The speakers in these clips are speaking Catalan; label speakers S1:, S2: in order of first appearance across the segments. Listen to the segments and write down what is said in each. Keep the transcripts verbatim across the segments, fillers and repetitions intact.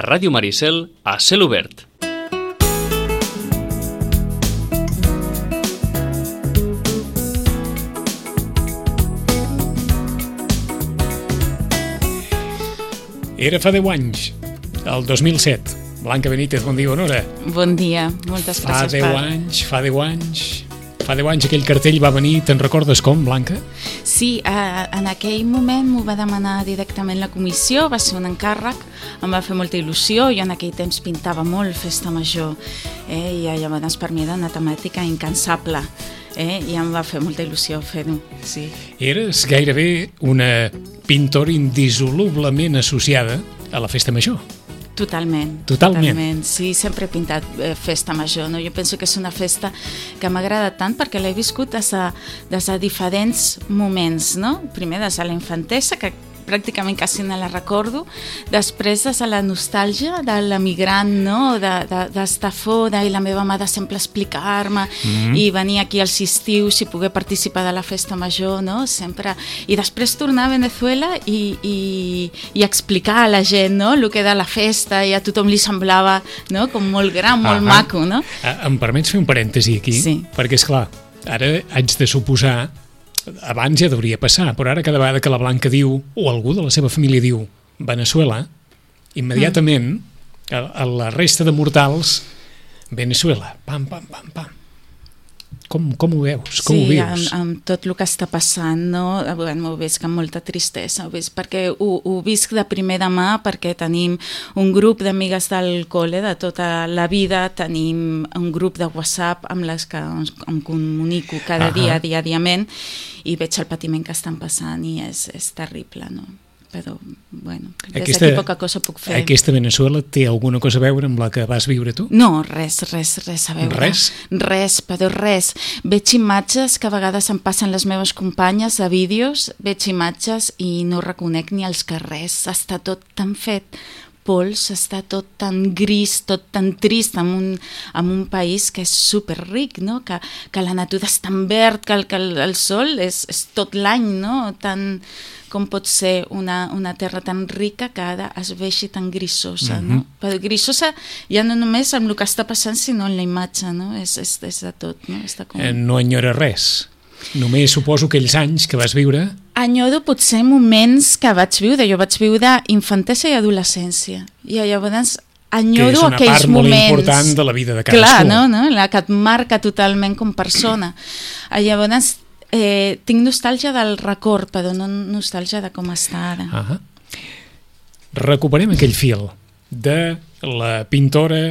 S1: a Ràdio Maricel, a Cel Obert.
S2: Era fa deu anys, el dos mil set. Blanca Benítez, bon dia, bona hora.
S3: Bon dia, moltes
S2: Fa
S3: gràcies.
S2: deu anys, fa deu anys... Fa deu anys aquell cartell va venir, te'n recordes com, Blanca?
S3: Sí, eh, en aquell moment m'ho va demanar directament la comissió, va ser un encàrrec, em va fer molta il·lusió, jo en aquell temps pintava molt festa major, eh, i llavors per mi era una temàtica incansable, eh, i em va fer molta il·lusió fer-ho, sí.
S2: Eres gairebé una pintora indissolublement associada a la festa major.
S3: Totalment,
S2: Totalment.
S3: totalment. Sí, sempre he pintat eh, festa major, no? Jo penso que és una festa que m'agrada tant perquè l'he viscut des de, des de diferents moments, no? Primer des de la infantesa, que pràcticament quasi no la recordo, després des de la nostàlgia de l'emigrant, no? De, de, d'estar fora i la meva mare sempre explicar-me mm-hmm. i venir aquí als estius i poder participar de la festa major, no? Sempre. I després tornar a Venezuela i, i, i explicar a la gent, no? El que era la festa i a tothom li semblava, no? Com molt gran, molt ah, maco, no?
S2: Em permets fer un parèntesi aquí?
S3: Sí.
S2: Perquè, esclar, ara haig de suposar, abans ja hauria passar, però ara cada vegada que la Blanca diu, o algú de la seva família diu Venezuela, immediatament mm. a, a la resta de mortals Venezuela, pam, pam, pam, pam. Com, com ho veus? Com
S3: sí,
S2: ho vius?
S3: amb, amb tot el que està passant, no? Bueno, ho visc amb molta tristesa, ho visc perquè ho, ho visc de primera mà, perquè tenim un grup d'amigues del col·le de tota la vida, tenim un grup de WhatsApp amb les que em comunico cada uh-huh. dia, dia, diament, i veig el patiment que estan passant i és, és terrible, no? Però, bueno, des
S2: aquesta,
S3: d'aquí poca cosa puc fer.
S2: Aquesta Venezuela té alguna cosa a veure amb la que vas viure tu?
S3: No, res, res, res a veure.
S2: Res?
S3: Res, però res. Veig imatges que a vegades em passen les meves companyes a vídeos, veig imatges i no reconec ni els carrers. Està tot tan fet pols, està tot tan gris, tot tan trist en un, en un país que és superric, no? Que, que la natura és tan verd, que el, que el, el sol és, és tot l'any, no? Tan, com pot ser una, una terra tan rica que ara es vegi tan grisosa, mm-hmm. no? Però grisosa ja no només amb el que està passant, sinó en la imatge, no? És, és, és de tot, no? Està com...
S2: Eh, no enyora res. Només suposo aquells anys que vas viure...
S3: Enyoro potser moments que vaig viure. Jo vaig viure infantesa i adolescència. I llavors enyoro aquells moments...
S2: Que és una part molt important de la vida de cadascú.
S3: Clar, no? no? La que et marca totalment com persona. Llavors eh, tinc nostàlgia del record, però no nostàlgia de com està ara.
S2: Uh-huh. Recuperem aquell fil de la pintora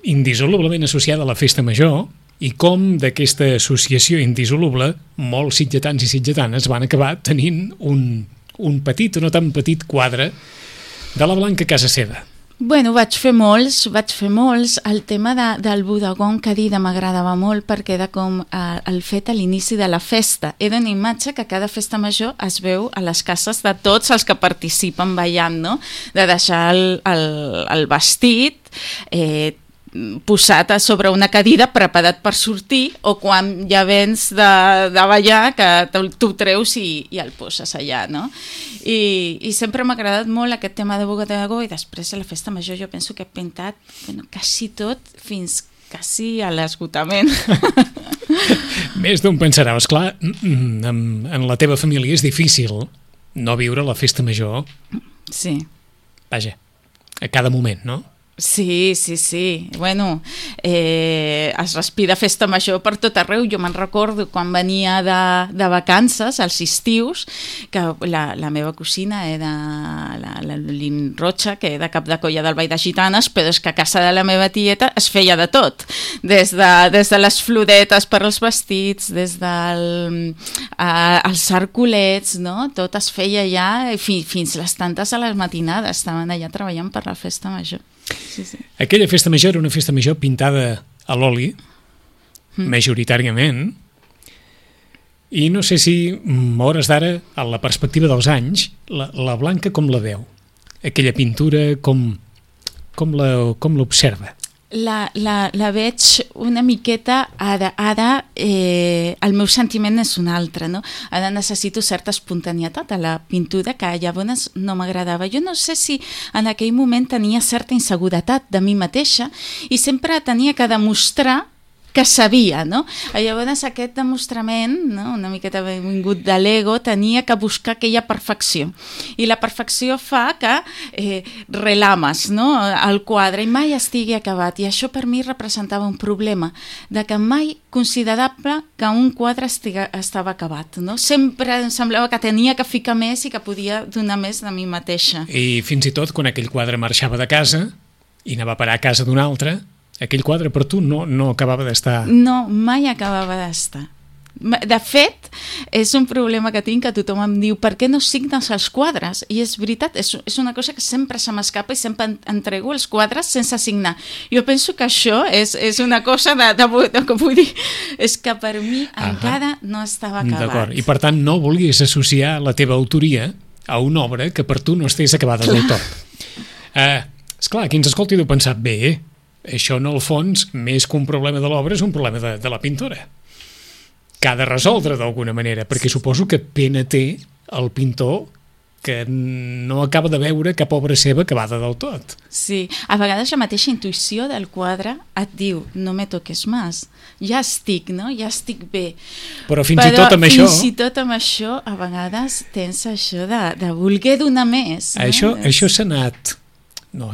S2: indissolublement associada a la festa major i com d'aquesta associació indissoluble molts sitgetans i sitgetanes van acabar tenint un, un petit o no tan petit quadre de la Blanca a casa seva.
S3: Bueno, vaig fer molts, vaig fer molts. El tema de, del bodegó que dida m'agradava molt perquè era com eh, el fet a l'inici de la festa. Era una imatge que cada festa major es veu a les cases de tots els que participen ballant, no? De deixar el, el, el vestit, eh, posat a sobre una cadira preparat per sortir, o quan ja vens de, de ballar que tu treus i, i el poses allà, no? I, i sempre m'ha agradat molt aquest tema de bodegó, i després a la festa major jo penso que he pintat bueno, quasi tot fins quasi a l'esgotament.
S2: Més d'un pensarà, esclar, en, en la teva família és difícil no viure la festa major.
S3: Sí.
S2: Vaja, a cada moment, no?
S3: Sí, sí, sí. Bueno, eh, es respira festa major per tot arreu. Jo me'n recordo quan venia de, de vacances, als estius, que la, la meva cosina era la, la Lin Rocha, que era cap de colla del Ball de Gitanes, però és que a casa de la meva tieta es feia de tot. Des de, des de les floretes per als vestits, des dels eh, arculets, no? Tot es feia allà, fi, fins les tantes a les matinades. Estaven allà treballant per la festa major. Sí, sí.
S2: Aquella festa major era una festa major pintada a l'oli, mm. majoritàriament, i no sé si, a hores d'ara, a la perspectiva dels anys, la, la Blanca com la veu? Aquella pintura, com, com la, com l'observa?
S3: la, la, la veig una miqueta ara, ara eh, el meu sentiment és un altre, no? Ara necessito certa espontanietat a la pintura que llavors no m'agradava. Jo no sé si en aquell moment tenia certa inseguretat de mi mateixa i sempre tenia que demostrar que sabia, no? Llavors aquest demostrament, no? Una miqueta vingut de l'ego, tenia que buscar aquella perfecció. I la perfecció fa que eh, relames, no? El quadre i mai estigui acabat. I això per mi representava un problema, de que mai considerable que un quadre estiga, estava acabat, no? Sempre em semblava que tenia que ficar més i que podia donar més de mi mateixa.
S2: I fins i tot quan aquell quadre marxava de casa i anava a parar a casa d'un altre, aquell quadre per tu no, no acabava d'estar...
S3: No, mai acabava d'estar. De fet, és un problema que tinc, que tothom em diu per què no signes els quadres? I és veritat, és, és una cosa que sempre se m'escapa i sempre entrego els quadres sense signar. Jo penso que això és, és una cosa de, de, de, de, vull dir, és que per mi ah, encara no estava acabat.
S2: D'acord, i per tant no vulguis associar la teva autoria a una obra que per tu no estigués acabada del tot. Eh, esclar, qui ens escolti deu pensar, bé, això en el fons, més que un problema de l'obra, és un problema de, de la pintora, que ha de resoldre d'alguna manera, perquè suposo que pena té el pintor que no acaba de veure cap obra seva acabada del tot.
S3: Sí, a vegades la mateixa intuïció del quadre et diu, no me toques més, ja estic, no? Ja estic bé.
S2: Però fins
S3: Però
S2: i tot amb
S3: fins
S2: això...
S3: Fins i tot amb això, a vegades tens això de, de voler donar més. No?
S2: Això,
S3: és...
S2: això s'ha anat... No,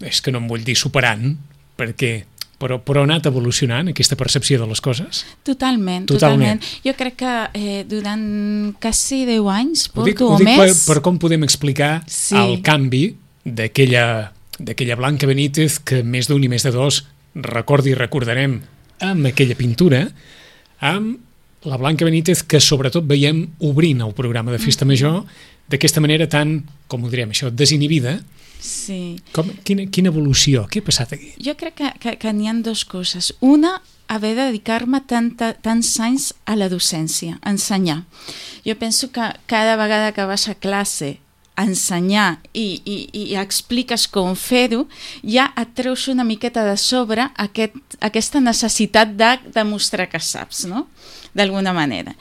S2: és que no em vull dir superant, perquè... Però, però ha anat evolucionant aquesta percepció de les coses?
S3: Totalment,
S2: totalment.
S3: totalment. Jo crec que eh, durant quasi deu anys, porto
S2: dic,
S3: o
S2: dic
S3: més...
S2: Per, per com podem explicar sí. el canvi d'aquella d'aquella Blanca Benítez que més d'un i més de dos recordi i recordarem amb aquella pintura, amb la Blanca Benítez que sobretot veiem obrint el programa de Festa Major d'aquesta manera tan, com ho direm això, desinhibida.
S3: Sí.
S2: Com, quina, quina evolució? Què ha passat aquí?
S3: Jo crec que, que, que n'hi ha dues coses. Una, haver de dedicar-me tanta, tants anys a la docència, a ensenyar. Jo penso que cada vegada que vas a classe a ensenyar i, i, i expliques com fer-ho, ja et treus una miqueta de sobre aquest, aquesta necessitat de demostrar que saps, no? D'alguna manera.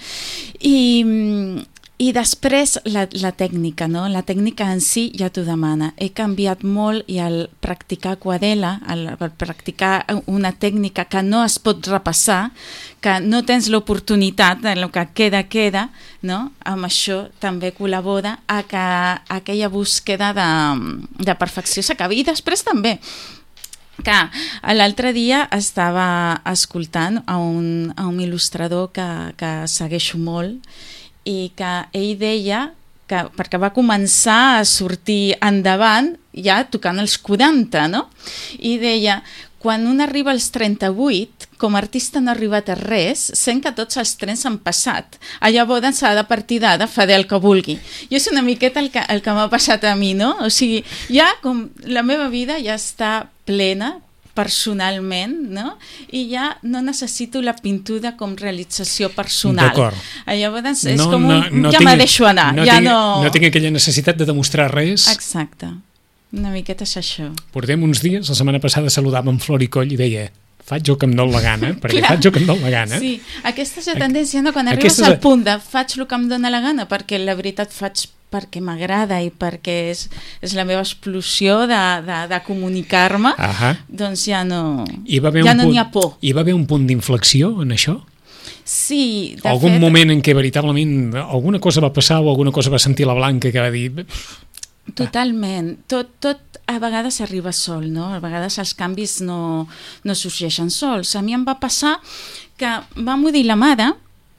S3: I... I després la, la tècnica, no? La tècnica en si ja t'ho demana. He canviat molt i al practicar aquarel·la, al, al practicar una tècnica que no es pot repassar, que no tens l'oportunitat de lo que queda, queda, no? Amb això també col·labora a que aquella búsqueda de, de perfecció s'acabi. I després també que l'altre dia estava escoltant a un, a un il·lustrador que, que segueixo molt i que ell deia que perquè va començar a sortir endavant ja tocant els quaranta, no? I deia, quan un arriba als trenta-vuit, com a artista no ha arribat a res, sent que tots els trens han passat. Llavors s'ha de partir d'ara, fa el que vulgui. I és una miqueta el que, el que m'ha passat a mi, no? O sigui, ja com la meva vida ja està plena, personalment, no? I ja no necessito la pintura com realització personal.
S2: D'acord.
S3: Llavors és
S2: no,
S3: com un...
S2: No, no
S3: ja
S2: tinc,
S3: me deixo anar.
S2: No,
S3: ja
S2: tinc,
S3: no...
S2: no tinc aquella necessitat de demostrar res.
S3: Exacte. Una miqueta és això.
S2: Portem uns dies, la setmana passada saludàvem Flor i Coll i deia faig el que em dóna la gana, perquè Clar. faig el que em dona la gana.
S3: Sí, aquesta és la tendència, no? Quan arribes Aquesta... al punt de faig el que em dóna la gana, perquè la veritat faig perquè m'agrada i perquè és, és la meva explosió de, de, de comunicar-me, doncs ja no n'hi ja no ha por.
S2: Hi va haver un punt d'inflexió en això?
S3: Sí, de
S2: algun
S3: fet...
S2: moment en què veritablement alguna cosa va passar o alguna cosa va sentir la Blanca que va dir...
S3: Totalment. Tot, tot a vegades arriba sol, no? A vegades els canvis no, no sorgeixen sols. A mi em va passar que va morir la mare,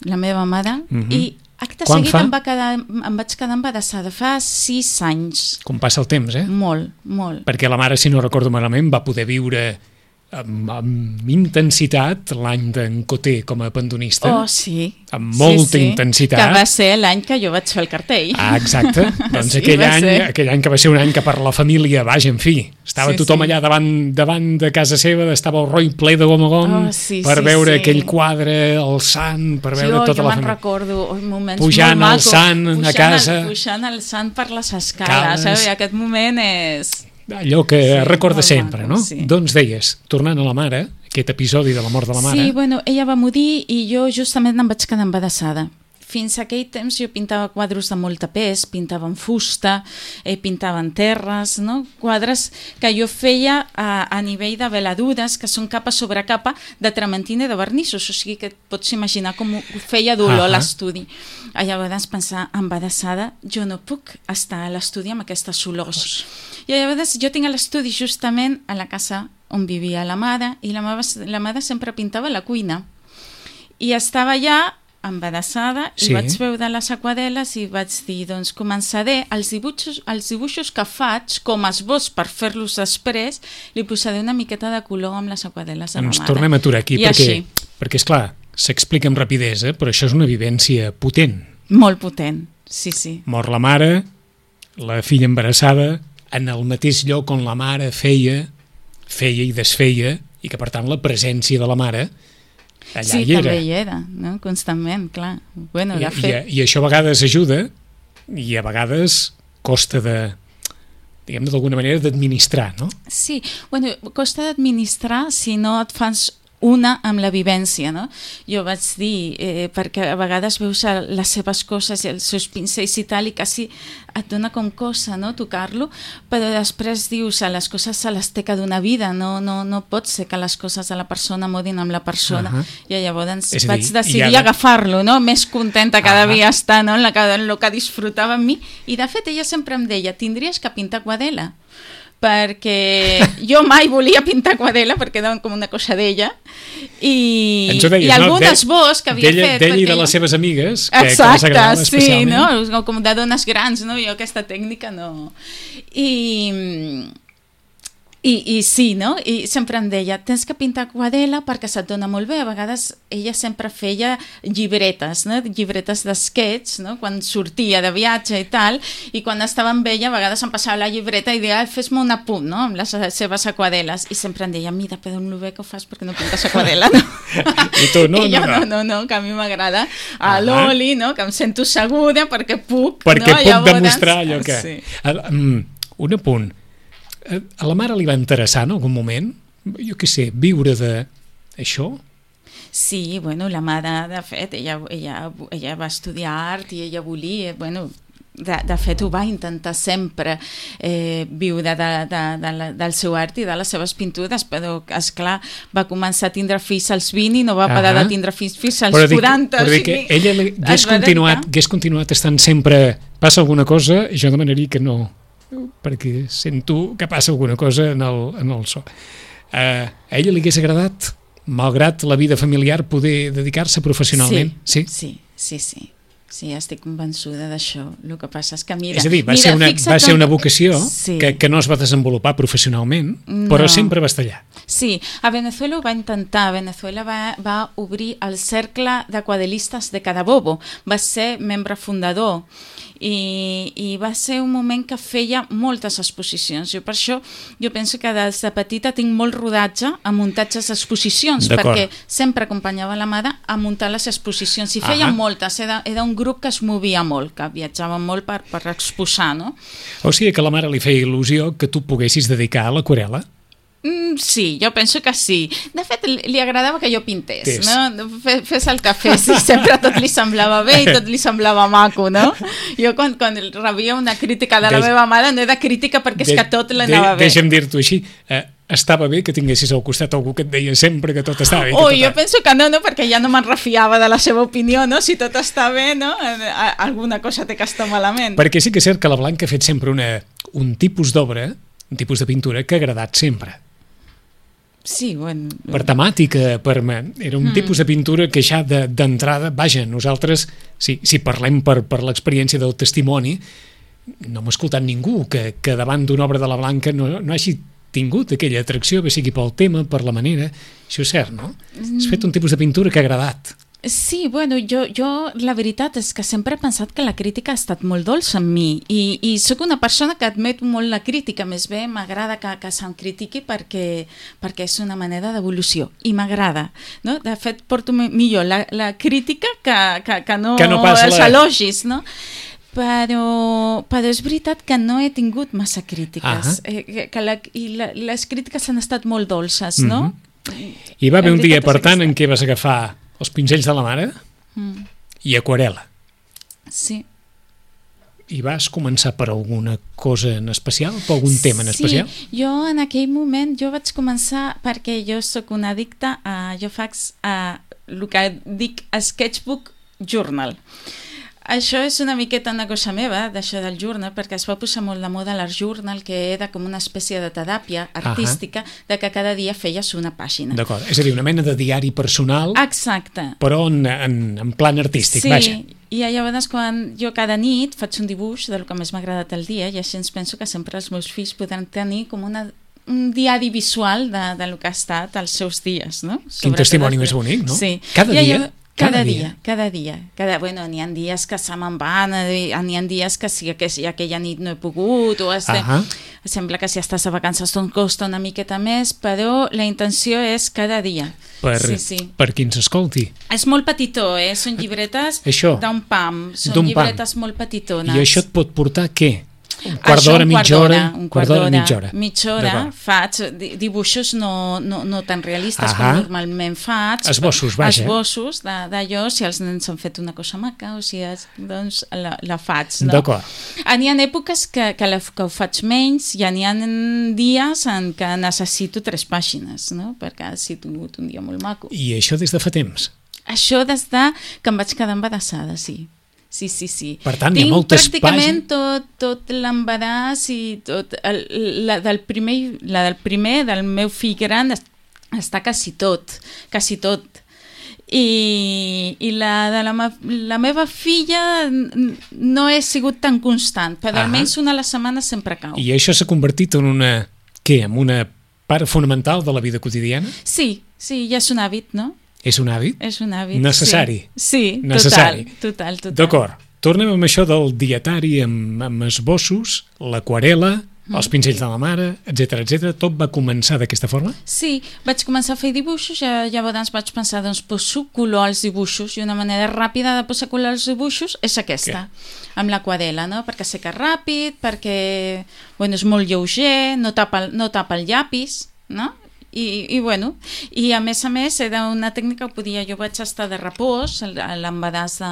S3: la meva mare, uh-huh. i acte
S2: Quan
S3: seguit
S2: fa?
S3: em, va quedar, em vaig quedar embarassada fa sis anys.
S2: Com passa el temps, eh?
S3: Molt, molt.
S2: Perquè la mare, si no recordo malament, va poder viure amb, amb intensitat l'any d'en Coté com a pandonista.
S3: Oh, sí.
S2: Amb molta
S3: sí, sí.
S2: intensitat.
S3: Que va ser l'any que jo vaig fer el cartell.
S2: Ah, exacte. Doncs sí, aquell, any, aquell any que va ser un any que per la família, vaja, en fi, estava sí, tothom sí. allà davant, davant de casa seva, estava el Roy ple de gom a gom
S3: oh, sí,
S2: per
S3: sí,
S2: veure
S3: sí.
S2: aquell quadre, el sant, per veure
S3: jo,
S2: tota
S3: jo
S2: la família.
S3: Jo me'n recordo oh, moments
S2: pujant
S3: molt
S2: el sant
S3: pujant
S2: a casa.
S3: El, pujant el sant per les escales. Eh? Aquest moment és...
S2: allò que
S3: Sí,
S2: recorda
S3: molt
S2: sempre,
S3: maco,
S2: no?
S3: sí.
S2: Doncs deies, tornant a la mare, aquest episodi de la mort de la mare...
S3: Sí, bueno, ella va morir i jo justament em vaig quedar embarassada. Fins a aquell temps jo pintava quadres de molta pes, pintava en fusta, eh, pintava en terres, no? Quadres que jo feia a, a nivell de veladures, que són capa sobre capa de trementina i de vernissos, o sigui que et pots imaginar com ho feia dolor a l'estudi. A llavors pensar, embarassada, jo no puc estar a l'estudi amb aquestes olors. I llavors jo tinc l'estudi justament a la casa on vivia la mare, i la mare, la mare sempre pintava a la cuina. I estava allà embarassada i
S2: sí.
S3: vaig veure les aquarel·les i vaig dir, doncs començaré els dibuixos, els dibuixos que faig com a esbós per fer-los després, li posaré una miqueta de color amb les aquarel·les de la
S2: Ens
S3: mare.
S2: tornem a aturar aquí
S3: I
S2: perquè,
S3: així.
S2: perquè esclar, s'explica amb rapidesa, però això és una vivència potent.
S3: Molt potent, sí, sí.
S2: Mor la mare, la filla embarassada, en el mateix lloc on la mare feia, feia i desfeia, i que per tant la presència de la mare allà
S3: sí,
S2: hi era.
S3: també hi era, no? Constantment, clar. Bueno,
S2: I,
S3: de fet...
S2: i, I això a vegades ajuda i a vegades costa de, diguem-ne d'alguna manera, d'administrar, no?
S3: Sí, bueno, costa d'administrar si no et fas una amb la vivència, no? Jo vaig dir, eh, perquè a vegades veus les seves coses i els seus pincells i tal, i quasi et dona com cosa, no?, tocar-lo, però després dius, a les coses se les té que donar vida, no, no, no pot ser que les coses de la persona morin amb la persona. Uh -huh. I llavors
S2: dir,
S3: vaig decidir
S2: ara...
S3: agafar-lo, no?, més contenta cada
S2: uh -huh.
S3: dia estar, no?, en, la, en el que disfrutava amb mi, i de fet ella sempre em deia, tindries que pintar aquarel·la, perquè jo mai volia pintar aquarel·la perquè era com una cosa d'ella i,
S2: deies,
S3: i algun
S2: no?
S3: esbós que havia fet
S2: d'ell i de les seves amigues que, que les agradava especialment.
S3: Sí, no? Com de dones grans, no? Jo aquesta tècnica no... I... I, i sí, no? I sempre em deia, tens que pintar aquarel·la perquè se't dona molt bé. A vegades ella sempre feia llibretes, no? Llibretes d'esquets, no? Quan sortia de viatge i tal, i quan estava amb ella a vegades em passava la llibreta i deia, fes-me un apunt, no?, amb les seves aquarel·les, i sempre em deia, mira, però amb lo bé que ho fas perquè no pintes aquarel·la, no?
S2: I tu, no,
S3: I jo,
S2: no,
S3: no, no, no, que a mi m'agrada a l'oli, no?, que em sento segura perquè puc,
S2: perquè
S3: no?
S2: puc
S3: Llavors,
S2: demostrar allò que...
S3: Sí.
S2: Un apunt. A la mare li va interessar en algun moment, jo què sé, viure d'això?
S3: Sí, bueno, la mare, de fet, ella, ella, ella va estudiar art i ella volia, bueno, de, de fet ho va intentar sempre eh, viure de, de, de la, del seu art i de les seves pintures, però, esclar, va començar a tindre fills als vint i no va parar uh -huh. de tindre fills fins als
S2: però
S3: quaranta.
S2: Però dic que ella hagués continuat, hagués continuat estant sempre, passa alguna cosa, jo demanaria que no, perquè sento que passa alguna cosa en el, en el so. Uh, a ella li hagués agradat, malgrat la vida familiar, poder dedicar-se professionalment?
S3: Sí, sí, sí, sí. Sí, estic convençuda d'això. El que passa és que, mira...
S2: És a dir, va,
S3: mira,
S2: ser, una, va ser una
S3: com...
S2: vocació
S3: sí.
S2: que, que no es va desenvolupar professionalment,
S3: no.
S2: però sempre va estar allà.
S3: Sí, a Venezuela ho va intentar. A Venezuela va, va obrir el cercle d'aquarel·listes de Carabobo. Va ser membre fundador. I, i va ser un moment que feia moltes exposicions. Jo per això jo penso que des de petita tinc molt rodatge a muntatges d'exposicions, perquè sempre acompanyava la mare a muntar les exposicions i feia moltes, era, era un grup que es movia molt, que viatjava molt per, per exposar, no?
S2: O sigui que a la mare li feia il·lusió que tu poguessis dedicar a l'aquarel·la?
S3: Mm, sí, jo penso que sí. De fet, li agradava que jo pintés, Tés. no? Fes el que fes, i sempre tot li semblava bé i tot li semblava maco, no? Jo quan, quan rebia una crítica de la Deix... meva mare no era crítica perquè és de... que tot l'anava
S2: de...
S3: bé.
S2: Deixa'm dir-t'ho així, eh, estava bé que tinguessis al costat algú que et deia sempre que tot estava bé.
S3: Oh, jo penso que no, no, perquè ja no me'n refiava de la seva opinió, no? Si tot està bé, no? Alguna cosa té que estar malament.
S2: Perquè sí que és cert que la Blanca ha fet sempre una, un tipus d'obra, un tipus de pintura que ha agradat sempre.
S3: Sí, bueno...
S2: Per temàtica, per... era un mm. tipus de pintura que ja d'entrada, vaja, nosaltres, si, si parlem per, per l'experiència del testimoni, no hem escoltat ningú que, que davant d'una obra de la Blanca no, no hagi tingut aquella atracció, que sigui pel tema, per la manera. Això és cert, no? Mm. Has fet un tipus de pintura que ha agradat.
S3: Sí, bueno, jo, jo la veritat és que sempre he pensat que la crítica ha estat molt dolça amb mi i, i sóc una persona que admet molt la crítica, més bé m'agrada que, que se'm critiqui perquè, perquè és una manera d'evolució i m'agrada, no? De fet porto millor la, la crítica que, que, que no,
S2: que no
S3: els la... elogis, no? però, però és veritat que no he tingut massa crítiques.
S2: Ah.
S3: Eh, que, que la, I la, les crítiques han estat molt dolces, no?
S2: Mm-hmm. I va haver un dia, per tant,
S3: aquesta.
S2: en què vas agafar els pinzells de la mare
S3: Mm.
S2: i aquarel·la.
S3: Sí.
S2: I vas començar per alguna cosa en especial, per algun tema en especial?
S3: Sí, jo en aquell moment jo vaig començar perquè jo sóc una addicta a, jo faig a, el que dic sketchbook journal. Això és una miqueta una cosa meva, d'això del journal, perquè es va posar molt de moda l'art journal, que era com una espècie de teràpia artística, uh-huh. de que cada dia feies una pàgina.
S2: D'acord, és a dir, una mena de diari personal,
S3: exacte,
S2: però en, en, en plan artístic,
S3: sí,
S2: vaja.
S3: I llavors quan jo cada nit faig un dibuix del que més m'ha agradat el dia i així ens penso que sempre els meus fills podran tenir com una, un diari visual de, de lo que ha estat els seus dies, no?
S2: Quin
S3: Sobretot
S2: testimoni
S3: els...
S2: més bonic, no?
S3: Sí.
S2: Cada
S3: I
S2: dia?
S3: Allò... Cada, cada dia, dia, cada dia. Cada, bueno, n'hi ha dies que se me'n van, n'hi ha dies que sí, que sí, aquella nit no he pogut, o estem... uh-huh. Sembla que si estàs a vacances tot costa una miqueta més, però la intenció és cada dia.
S2: Per,
S3: sí, sí.
S2: per qui ens escolti.
S3: És molt petitó, eh? Són llibretes d'un pam, són llibretes pam. Molt petitones.
S2: I això et pot portar què? Un quart d'hora, mitja hora?
S3: Un quart d'hora, mitja hora. Mitja hora faig dibuixos no, no, no tan realistes com normalment faig.
S2: Esbossos, vaja.
S3: Esbossos d'allò, si els nens han fet una cosa maca o si és, doncs la, la faig. No?
S2: D'acord.
S3: N'hi ha èpoques que, que, la, que ho faig menys i n'hi ha dies en què necessito tres pàgines, no? Perquè ha sigut un dia molt maco.
S2: I això des de fa temps?
S3: Això des de que em vaig quedar embarassada, sí. Sí, sí, sí.
S2: Per tant,
S3: Tinc
S2: hi ha moltes
S3: pràcticament tot, tot l'embaràs i tot el, la, del primer, la del primer, del meu fill gran, està quasi tot, quasi tot. I, i la de la, la meva filla no he sigut tan constant, però almenys una a la setmana sempre cau.
S2: I això s'ha convertit en una, què, en una part fonamental de la vida quotidiana?
S3: Sí, sí, ja és un hàbit, no?
S2: És un hàbit?
S3: És un hàbit,
S2: necessari.
S3: Sí, sí,
S2: necessari.
S3: Total, total, total.
S2: D'acord. Tornem amb això del dietari amb, amb esbossos, l'aquarel·la, mm. els pincells de la mare, etcètera, etcètera. Tot va començar d'aquesta forma?
S3: Sí, vaig començar a fer dibuixos, ja, llavors vaig pensar, doncs poso color als dibuixos i una manera ràpida de posar color als dibuixos és aquesta, Què? amb l'aquarel·la, no? Perquè seca ràpid, perquè bueno, és molt lleuger, no tapa, no tapa el llapis, no? I, i bueno, i a més a més era una tècnica que podia, jo vaig estar de repòs a l'embaràs de,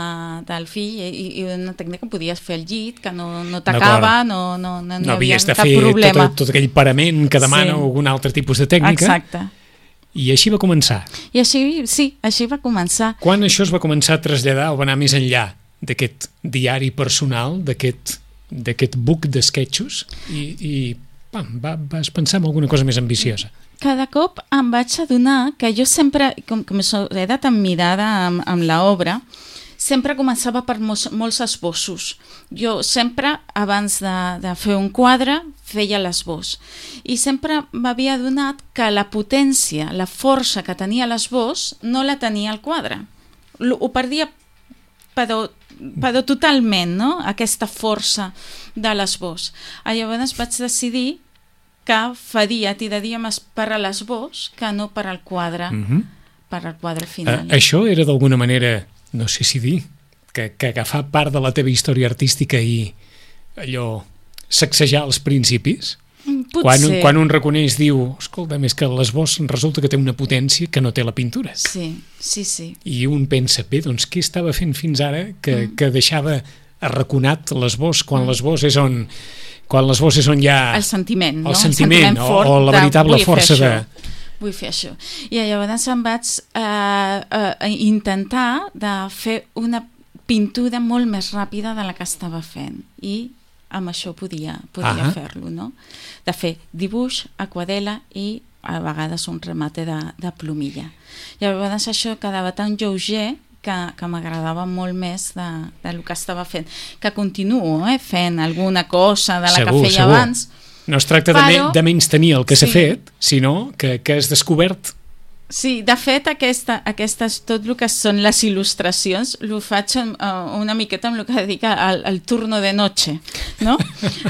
S3: del fill i, i una tècnica que podies fer al llit, que no, no t'acaba, no, no, no, no,
S2: no
S3: hi havia
S2: de
S3: cap
S2: fer
S3: problema.
S2: Tot, tot aquell parament que demana sí. algun altre tipus de tècnica.
S3: Exacte.
S2: I així va començar.
S3: I així, sí, així va començar.
S2: Quan això es va començar a traslladar o va anar més enllà d'aquest diari personal, d'aquest d'aquest book d'esquetxos i, i pam, va, vas pensar en alguna cosa més ambiciosa?
S3: Cada cop em vaig adonar que jo sempre, com, com era tan mirada amb, amb l'obra, sempre començava per molts, molts esbossos. Jo sempre, abans de, de fer un quadre, feia l'esbós. I sempre m'havia adonat que la potència, la força que tenia l'esbós, no la tenia el quadre. Ho perdia, però, però totalment, no?, aquesta força de l'esbós. Llavors vaig decidir que faria, tiraria més per a l'esbós que no per al quadre, uh-huh. per al quadre final.
S2: Uh, això era d'alguna manera, no sé si dir, que, que agafar part de la teva història artística i allò, sacsejar els principis?
S3: Potser.
S2: Quan, quan un reconeix, diu, escolta, més que l'esbós resulta que té una potència que no té la pintura.
S3: Sí, sí, sí.
S2: I un pensa, bé, doncs què estava fent fins ara que, mm. que deixava arraconat l'esbós quan mm. l'esbós és on... quan l'esbós és on hi ha...
S3: El sentiment, no?
S2: El sentiment,
S3: el sentiment fort
S2: o, o la veritable
S3: de,
S2: força de...
S3: Vull fer això. I llavors em vaig eh, eh, intentar de fer una pintura molt més ràpida de la que estava fent. I amb això podia, podia fer-lo, no? De fer dibuix, aquarel·la i a vegades un remate de, de plomilla. Llavors això quedava tan lleuger que, que m'agradava molt més de, de lo que estava fent. Que continuo eh, fent alguna cosa de la
S2: segur,
S3: que feia
S2: segur.
S3: abans.
S2: No es tracta
S3: però,
S2: de, me, de menys tenir el que s'ha
S3: sí.
S2: fet, sinó que, que has descobert.
S3: Sí, de fet, aquesta, aquestes, tot el que són les il·lustracions ho faig uh, una miqueta amb el que dic el, el turno de noche, no?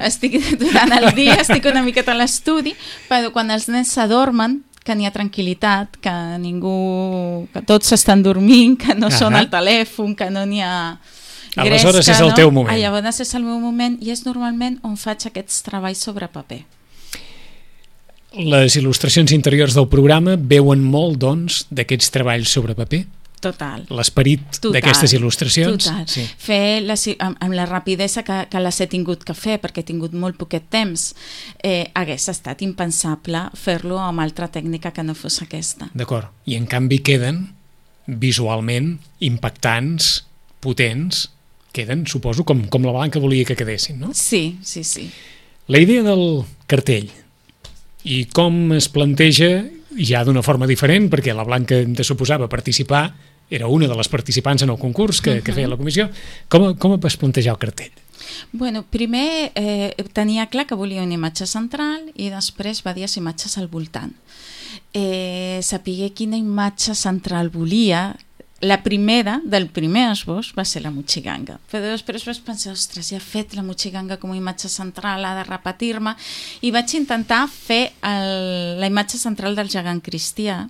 S3: Estic, durant el dia estic una miqueta a l'estudi, però quan els nens s'adormen, que n'hi ha tranquil·litat, que ningú, que tots estan dormint, que no uh-huh. són al telèfon, que no n'hi ha...
S2: Aleshores
S3: gresca,
S2: és el
S3: no?
S2: teu moment.
S3: Ah, llavors és el meu moment i és normalment on faig aquests treballs sobre paper.
S2: Les il·lustracions interiors del programa veuen molt, doncs, d'aquests treballs sobre paper?
S3: Total.
S2: L'esperit d'aquestes il·lustracions?
S3: Total.
S2: Sí.
S3: Fer les, amb, amb la rapidesa que, que les he tingut que fer, perquè he tingut molt poquet temps, eh, hagués estat impensable fer-lo amb altra tècnica que no fos aquesta.
S2: D'acord. I en canvi queden visualment impactants, potents, queden, suposo, com, com la Blanca volia que quedessin, no?
S3: Sí, sí, sí.
S2: La idea del cartell i com es planteja ja d'una forma diferent, perquè la Blanca de suposava participar, era una de les participants en el concurs que, que feia la comissió. Com, com vas plantejar el cartell?
S3: Bueno, primer eh, tenia clar que volia una imatge central i després diverses imatges al voltant. Eh, sapigué quina imatge central volia. La primera, del primer esbós, va ser la Mochiganga. Però després vaig pensar, ostres, ja he fet la Mochiganga com a imatge central, ha de repetir-me, i vaig intentar fer el, la imatge central del gegant cristià,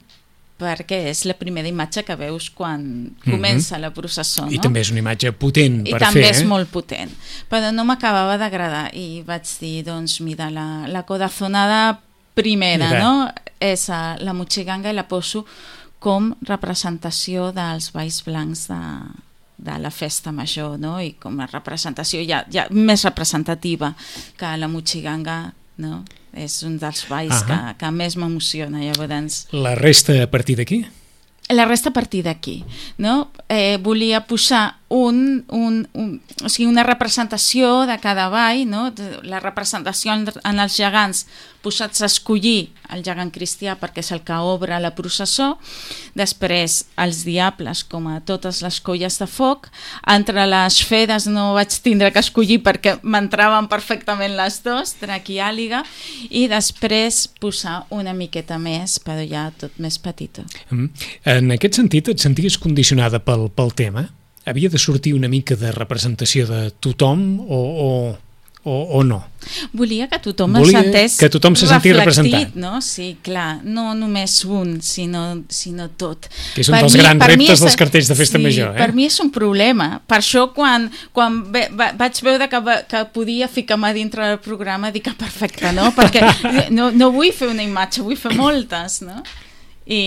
S3: perquè és la primera imatge que veus quan comença la processó.
S2: I
S3: no?
S2: també és una imatge potent per fer.
S3: I també és
S2: eh?
S3: molt potent. Però no m'acabava d'agradar i vaig dir, doncs mira, la, la codazonada primera,
S2: Mira.
S3: no? És a, la Mochiganga i la poso com representació dels balls blancs de, de la festa major, no? I com a representació ja, ja més representativa que la Mochiganga, no? És un dels balls que, que més m'emociona, llavors.
S2: La resta a partir d'aquí?
S3: La resta a partir d'aquí, no? Eh, volia posar un, un, un, o sigui, una representació de cada ball, no? La representació en, en els gegants posats a escollir el gegant cristià perquè és el que obre la processó, després els diables com a totes les colles de foc, entre les fedes no vaig tindre que escollir perquè m'entraven perfectament les dues, drac i àliga, i després posar una miqueta més, però ja tot més petita.
S2: Mm. En aquest sentit, et senties condicionada pel, pel tema? Havia de sortir una mica de representació de tothom o, o, o, o no?
S3: Volia que tothom
S2: Volia
S3: es sentés
S2: que tothom se sentés representat.
S3: No? Sí, clar, no només un, sinó, sinó tot.
S2: Que és un dels grans reptes dels cartells de festa
S3: sí,
S2: major. Eh?
S3: Per mi és un problema. Per això, quan, quan ve, va, vaig veure que, va, que podia ficar-me dintre del programa, dic que perfecte, no? Perquè no, no vull fer una imatge, vull fer moltes, no? I,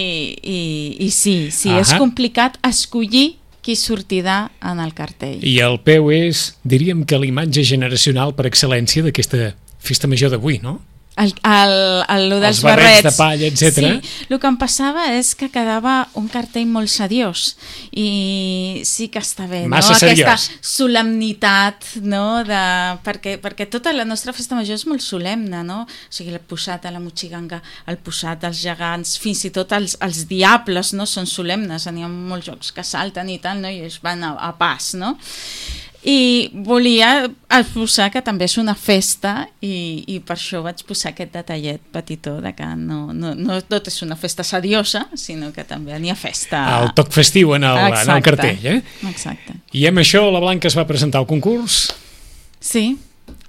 S3: i, i sí, sí,
S2: Ahà.
S3: és complicat escollir qui sortirà en el cartell.
S2: I el peu és, diríem que l'imatge generacional per excel·lència d'aquesta festa major d'avui, no?
S3: El, el, el, el dels
S2: Els barrets
S3: barrets
S2: de palla, etcètera.
S3: Sí, el que em passava és que quedava un cartell molt seriós i sí que està bé,
S2: Massa
S3: no?
S2: seriós.
S3: Aquesta solemnitat, no? De, perquè, perquè tota la nostra festa major és molt solemne, no? O sigui, el posat a la Mochiganga, el posat als gegants, fins i tot els, els diables, no? Són solemnes, n'hi ha molts jocs que salten i tal, no? I es van a, a pas, no? I volia posar que també és una festa i, i per això vaig posar aquest detallet petitó de que no, no, no tot és una festa seriosa, sinó que també n'hi ha festa.
S2: El toc festiu en el, en el cartell, eh?
S3: Exacte.
S2: I amb això la Blanca es va presentar al concurs
S3: Sí.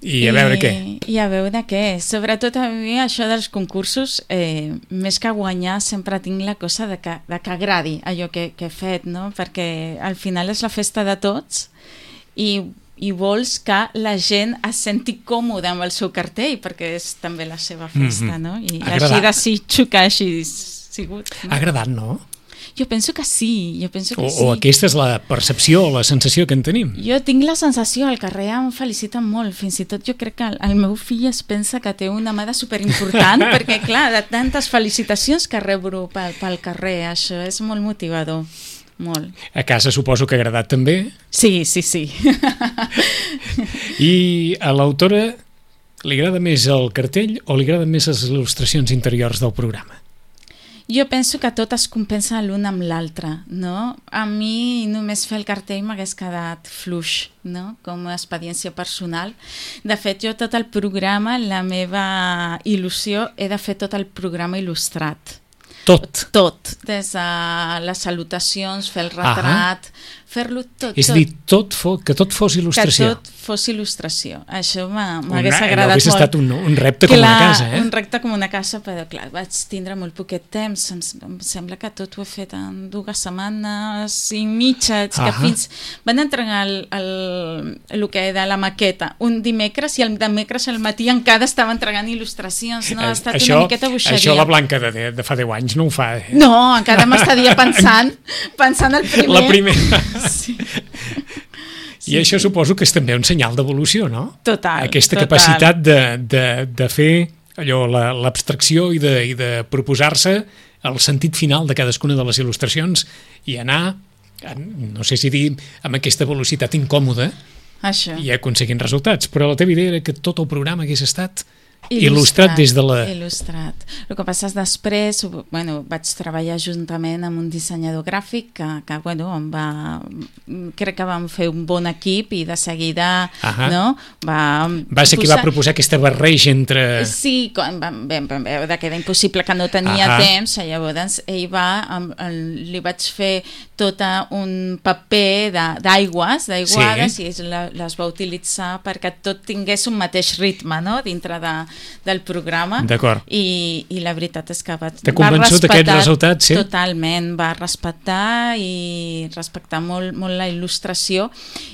S2: i a veure
S3: I,
S2: què.
S3: I a veure què. Sobretot a mi això dels concursos, eh, més que guanyar, sempre tinc la cosa de que, de que agradi allò que, que he fet, no? Perquè al final és la festa de tots i, i vols que la gent es senti còmode amb el seu cartell perquè és també la seva festa,
S2: Mm-hmm.
S3: no? I
S2: Agradat.
S3: així desitjo que hagi sigut. No?
S2: Ha agradat, no?
S3: Jo penso que sí, jo penso que
S2: O,
S3: sí.
S2: o aquesta és la percepció, la sensació que en tenim.
S3: Jo tinc la sensació, al carrer em feliciten molt, fins i tot jo crec que el, el meu fill es pensa que té una amada superimportant, perquè clar, de tantes felicitacions que rebro pel, pel carrer, això és molt motivador, molt.
S2: A casa suposo que ha agradat també.
S3: Sí, sí, sí.
S2: I a l'autora li agrada més el cartell o li agraden més les il·lustracions interiors del programa?
S3: Jo penso que tot es compensa l'un amb l'altre, no? A mi només fer el cartell m'hagués quedat fluix, no? Com a experiència personal. De fet, jo tot el programa, la meva il·lusió, he de fer tot el programa il·lustrat.
S2: Tot.
S3: Tot, des de les salutacions, fer el retrat, Ahà. fer-lo tot,
S2: És a dir, tot fo, que tot fos il·lustració.
S3: Que tot fos il·lustració. Això m'hagués
S2: Una,
S3: agradat
S2: hauria
S3: molt.
S2: estat un, un repte
S3: clar,
S2: com una casa, eh?
S3: Un repte com una casa, però clar, vaig tindre molt poquet temps. Em, em sembla que tot ho he fet en dues setmanes i mitja, que
S2: Ahà.
S3: fins... Van entregar el, el, el que era la maqueta un dimecres i el dimecres al matí encara estava entregant il·lustracions. No? Ha estat
S2: això,
S3: una miqueta boixeria.
S2: això la Blanca de, de fa deu anys no ho fa, eh?
S3: No, encara m'estaria pensant, pensant el primer.
S2: La primera.
S3: Sí.
S2: I això suposo que és també un senyal d'evolució, no?
S3: Total.
S2: Aquesta
S3: total.
S2: capacitat de, de, de fer allò, la- l'abstracció i de, i de proposar-se el sentit final de cadascuna de les il·lustracions i anar, no sé si dir, amb aquesta velocitat incòmoda
S3: Això.
S2: i aconseguint resultats. Però la teva idea era que tot el programa hagués estat il·lustrat des de la...
S3: Il·lustrat. El que passa és després, bueno, vaig treballar juntament amb un dissenyador gràfic que, que bueno, em va, crec que vam fer un bon equip i de seguida
S2: Ahà.
S3: no, va,
S2: Va ser qui va proposar aquesta barreja entre...
S3: Sí, quan vam, vam, vam veure que era impossible, que no tenia
S2: Ahà.
S3: temps, llavors ell va, amb, el, li vaig fer tot un paper de- d'aigües, d'aiguades,
S2: Sí.
S3: i ell la- les va utilitzar perquè tot tingués un mateix ritme, no?, dintre de, del programa.
S2: D'acord.
S3: I, I la veritat és que va,
S2: T'ha
S3: va
S2: convençut
S3: respectar
S2: aquest resultat, sí?
S3: Totalment, va respectar i respectar molt, molt la il·lustració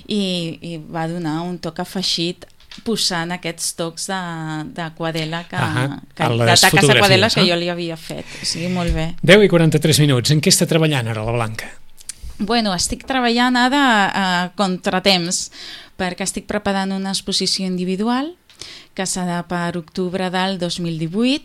S3: i, i va donar un toc afegit posant aquests tocs de, de quadela que,
S2: Ahà,
S3: que,
S2: a
S3: de
S2: les
S3: taques de
S2: fotografies,
S3: quadela que
S2: no?
S3: jo li havia fet, o sigui, molt bé.
S2: deu i quaranta-tres minuts. En què està treballant ara la Blanca?
S3: Bueno, estic treballant ara a contratemps perquè estic preparant una exposició individual que serà per octubre del dos mil divuit,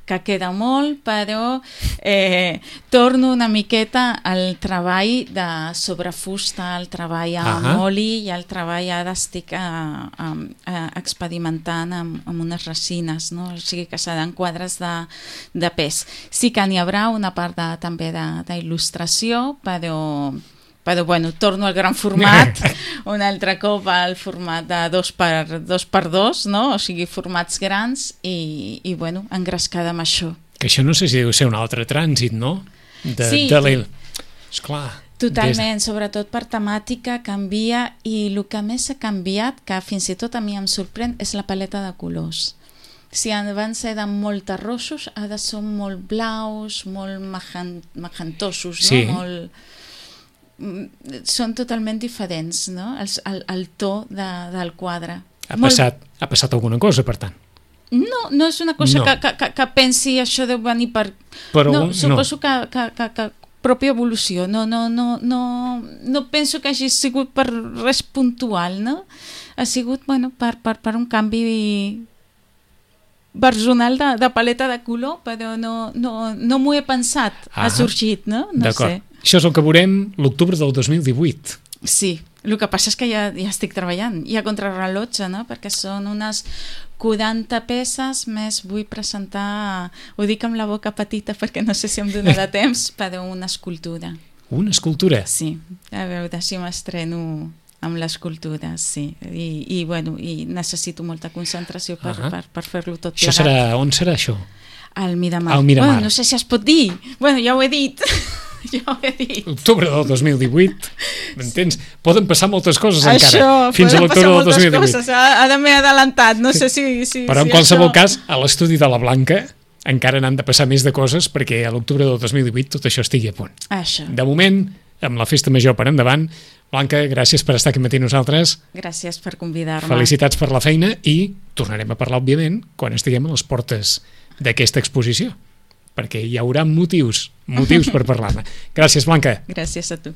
S3: que queda molt, però eh, torno una miqueta al treball de sobre fusta, al treball amb
S2: Ahà.
S3: oli i al treball ara estic a, a, a experimentant amb, amb unes resines, no? O sigui que seran quadres de, de pes. Sí que n'hi haurà una part de, també de- d'il·lustració, però... però bueno, torno al gran format un altre cop al format de dos per dos, per dos, no? O sigui, formats grans i, i bueno, engrescada amb això.
S2: Que això no sé si deu ser un altre trànsit, no? De,
S3: Sí.
S2: de l'il... Esclar.
S3: Totalment, des... sobretot per temàtica canvia i el que més ha canviat, que fins i tot a mi em sorprèn, és la paleta de colors. Si abans eren molt terrossos, ara són molt blaus, molt magen... magentosos,
S2: Sí.
S3: no? Molt... són totalment diferents, no? El, el, el to de, del quadre.
S2: Ha
S3: Molt-
S2: passat, ha passat alguna cosa, per tant.
S3: No, no és una cosa
S2: No.
S3: que, que, que, que pensi això deu venir per...
S2: Però
S3: no,
S2: no.
S3: suposo que, que, que, que pròpia evolució. No, no, no, no, no penso que hagi sigut per res puntual, no? Ha sigut, bueno, per, per, per un canvi personal de, de paleta de color, però no, no, no m'ho he pensat.
S2: Ah,
S3: ha sorgit, no? No
S2: D'acord.
S3: sé.
S2: Això és el que veurem l'octubre del dos mil divuit.
S3: Sí, el que passa és que ja, ja estic treballant, i a contrarrellotge, no? Perquè són unes quaranta peces, més vull presentar, ho dic amb la boca petita perquè no sé si em donarà temps, però una escultura.
S2: Una escultura.
S3: Sí, a veure si m'estreno amb l'escultura, sí. I, i, bueno, i necessito molta concentració per,
S2: Ahà.
S3: per, per fer-lo tot
S2: Això
S3: plegat.
S2: serà... On serà això?
S3: Al Miramar.
S2: Al Miramar.
S3: Bueno, no sé si es pot dir. Bueno, ja ho he dit. ja ho he dit.
S2: Octubre del dos mil divuit. M'entens? Poden passar moltes coses
S3: Això,
S2: encara. Fins a
S3: poden
S2: l'octubre
S3: passar
S2: del dos mil divuit.
S3: moltes coses. Ara m'he adelantat, no sé si... si
S2: Però en
S3: si
S2: qualsevol
S3: això...
S2: cas, a l'estudi de la Blanca encara n'han de passar més de coses perquè a l'octubre del dos mil divuit tot això estigui a punt.
S3: Això.
S2: De moment, amb la festa major per endavant, Blanca, gràcies per estar aquí matí nosaltres,
S3: Gràcies per convidar-me.
S2: felicitats per la feina i tornarem a parlar, òbviament, quan estiguem a les portes d'aquesta exposició, perquè hi haurà motius, motius per parlar-ne. Gràcies, Blanca.
S3: Gràcies a tu.